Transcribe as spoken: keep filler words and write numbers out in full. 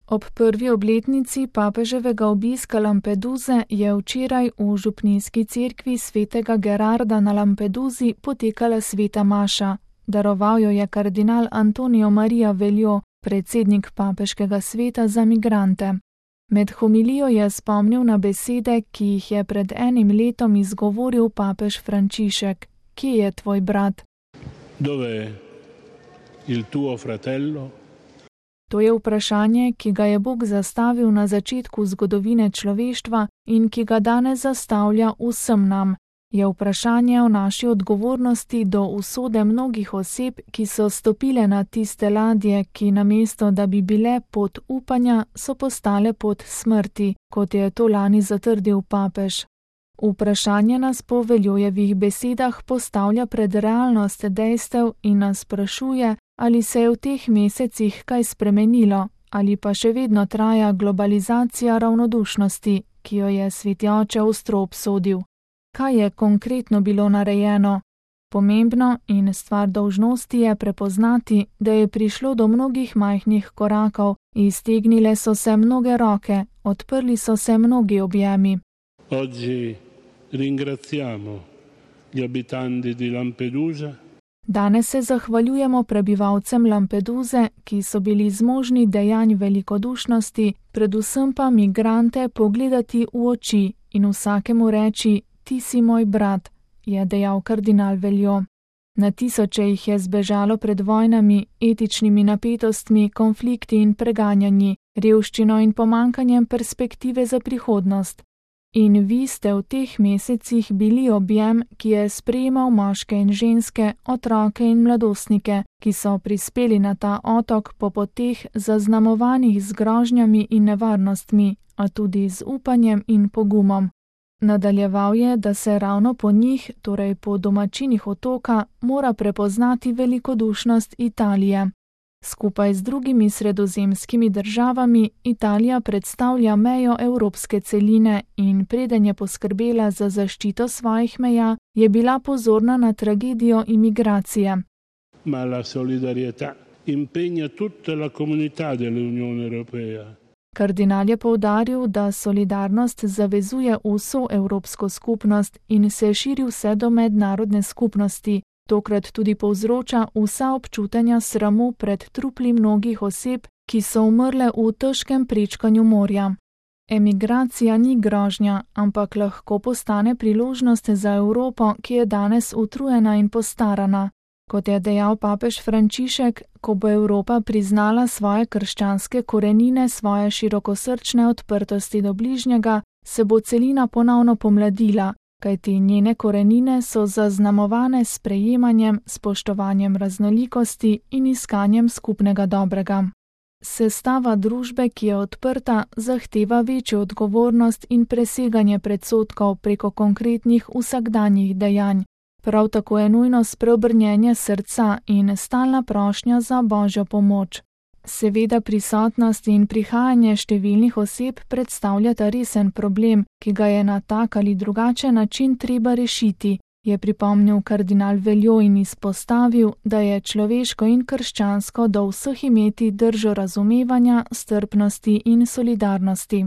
Ob prvi obletnici papeževega obiska Lampeduze je včeraj v župnijski cerkvi svetega Gerarda na Lampeduzi potekala sveta maša. Daroval jo je kardinal Antonio Maria Veljo, predsednik papeškega sveta za migrante. Med homilijo je spomnil na besede, ki jih je pred enim letom izgovoril papež Frančišek. Kje je tvoj brat? Dove il tuo fratello? To je vprašanje, ki ga je Bog zastavil na začetku zgodovine človeštva in ki ga danes zastavlja vsem nam. Je vprašanje o naši odgovornosti do usode mnogih oseb, ki so stopile na tiste ladje, ki namesto, da bi bile pot upanja, so postale pot smrti, kot je to lani zatrdil papež. Vprašanje nas po Veljojevih besedah postavlja pred realnost dejstev in nas sprašuje, ali se je v teh mesecih kaj spremenilo, ali pa še vedno traja globalizacija ravnodušnosti, ki jo je sveti oče ostro obsodil. Kaj je konkretno bilo narejeno? Pomembno in stvar dolžnosti je prepoznati, da je prišlo do mnogih majhnih korakov, iztegnile so se mnoge roke, odprli so se mnogi objemi. Oggi ringraziamo gli abitanti di Lampedusa. Danes se zahvaljujemo prebivalcem Lampeduze, ki so bili zmožni dejanj velikodušnosti, predvsem pa migrante pogledati v oči in vsakemu reči: ti si moj brat, je dejal kardinal Veljo. Na tisoče jih je zbežalo pred vojnami, etičnimi napetostmi, konflikti in preganjanji, revščino in pomankanjem perspektive za prihodnost. In vi ste v teh mesecih bili objem, ki je sprejemal moške in ženske, otroke in mladostnike, ki so prispeli na ta otok po poteh zaznamovanih z grožnjami in nevarnostmi, a tudi z upanjem in pogumom. Nadaljeval je, da se ravno po njih, torej po domačinih otoka, mora prepoznati velikodušnost Italije. Skupaj z drugimi sredozemskimi državami Italija predstavlja mejo evropske celine in preden je poskrbela za zaščito svojih meja, je bila pozorna na tragedijo imigracije. Ma la solidarietà impegna tutta la comunità dell'Unione Europea. Kardinal je poudaril, da solidarnost zavezuje vso evropsko skupnost in se širi vse do mednarodne skupnosti. Tokrat tudi povzroča vsa občutenja sramu pred trupli mnogih oseb, ki so umrle v težkem prečkanju morja. Emigracija ni grožnja, ampak lahko postane priložnost za Evropo, ki je danes utrujena in postarana. Kot je dejal papež Frančišek, ko bo Evropa priznala svoje krščanske korenine, svoje širokosrčne odprtosti do bližnjega, se bo celina ponovno pomladila, kajti njene korenine so zaznamovane s sprejemanjem, spoštovanjem raznolikosti in iskanjem skupnega dobrega. Sestava družbe, ki je odprta, zahteva večjo odgovornost in preseganje predsodkov preko konkretnih vsakdanjih dejanj. Prav tako je nujno spreobrnjenje srca in stalna prošnja za Božjo pomoč. Seveda prisotnost in prihajanje številnih oseb predstavljata resen problem, ki ga je na tak ali drugačen način treba rešiti, je pripomnil kardinal Veljo in izpostavil, da je človeško in krščansko do vseh imeti držo razumevanja, strpnosti in solidarnosti.